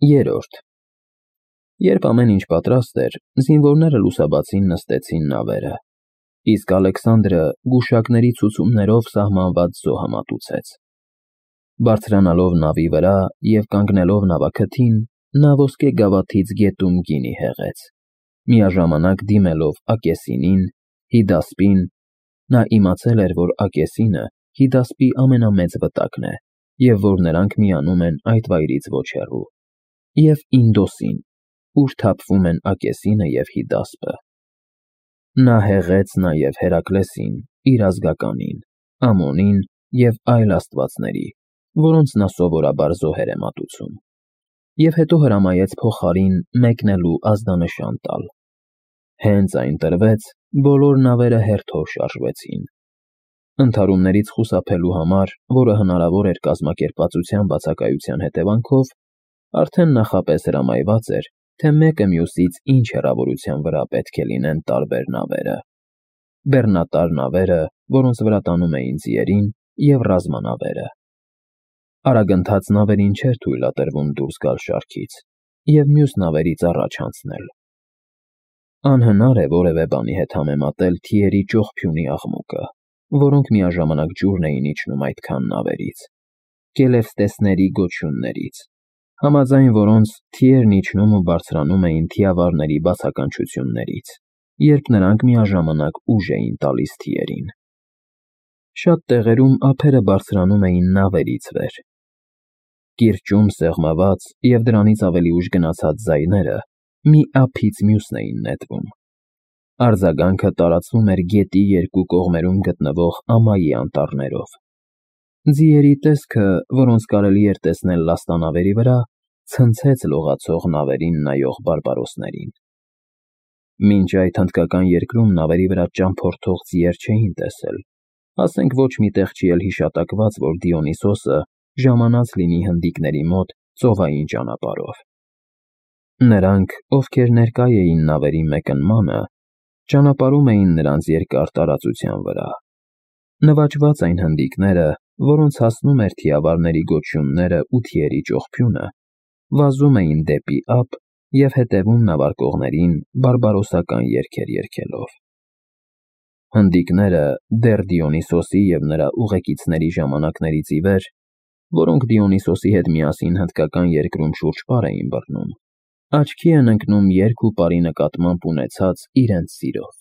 Երրորդ Երբ ամեն ինչ պատրաստ էր, զինվորները լուսաբացին նստեցին նավերը, իսկ Ալեքսանդրը գուշակների ցուցումներով սահմանված զոհը մատուցեց։ Բարձրանալով նավի վրա և կանգնելով նավաքթին, նա ոսկե գավաթից գետում գինի հեղեց, միաժամանակ դիմելով Ակեսինին, Հիդասպին (նա իմացել էր, որ Ակեսինը Հիդասպի ամենամեծ վտակն է և որ նրանք միանում են այդ վայրից ոչ հեռու) և Ինդոսին, ուր թափվում են Ակեսինը և Հիդասպը։ Նա հեղեց նաև Հերակլեսին, իր ազգականին, Ամոնին և այլ աստվածների, որոնց նա սովորաբար զոհեր է մատուցում, և հետո հրամայեց փոխարին մեկնելու ազդանշան տալ։ Հենց այն տրվեց, բոլոր նավերը հերթով շարժվեցին։ Ընդհարումներից խուսափելու համար, որը հնարավոր էր կազմակերպվածության բացակայության հետևանքով, արդեն նախապես հրամայված էր, թե մեկը մյուսից ինչ հեռավորության վրա պետք է լինեն տարբեր նավերը. բեռնատար նավերը, որոնց վրա տանում էին ձիերին, և ռազմանավերը։ Արագընթաց նավերին չէր թույլատրվում դուրս գալ շարքից և մյուս նավերից առաջ անցնել։ Անհնար է որևէ բանի հետ համեմատել թիերի ճողփյունի աղմուկը, որոնք միաժամանակ ջուրն էին իջնում այդքան նավերից, կելևստեսների գոչյուններից, համաձայն որոնց թիերն իջնում ու բարձրանում էին թիավարների բացականչություններից, երբ նրանք միաժամանակ ուժ էին տալիս թիերին։ Շատ տեղերում ափերը բարձրանում էին նավերից վեր։ Կիրճում սեղմված և դրանից ավելի ուշ գնացած ձայները մի ափից մյուսն էին նետվում։ Արձագանքը տարածվում էր գետի երկու կողմերում գտնվող ամայի անտառներով։ Ձիերի տեսքը, որոնց կարելի էր տեսնել լաստանավերի վրա, ցնցեց լողացող նավերին նայող բարբարոսներին։ Մինչ այդ հնդկական երկրում նավերի վրա ճամփորդող ձիեր չէին տեսել, ասենք ոչ մի տեղ չի էլ հիշատակված, որ Դիոնիսոսը ժամանած լինի հնդիկների մոտ ծովային ճանապարհով։ Նրանք, ովքեր ներկա էին նավերի մեկնմանը, ճանապարհում էին նրանց երկար տարածության վրա։ Նվաճված այն հնդիկները, որոնց հասնում էր թիավարների գոչյունները ու թիերի ճողփյունը, վազում էին դեպի ափ և հետևում նավարկողներին բարբարոսական երգեր երգելով։ Հնդիկները դեռ Դիոնիսոսի և նրա ուղեկիցների ժամանակներից ի վեր, որոնք Դիոնիսոսի հետ միասին հնդկական երկրում շուրջպար էին բռնում, աչքի են ընկնում երգ ու պարի նկատմամբ ունեցած իրենց սիրով։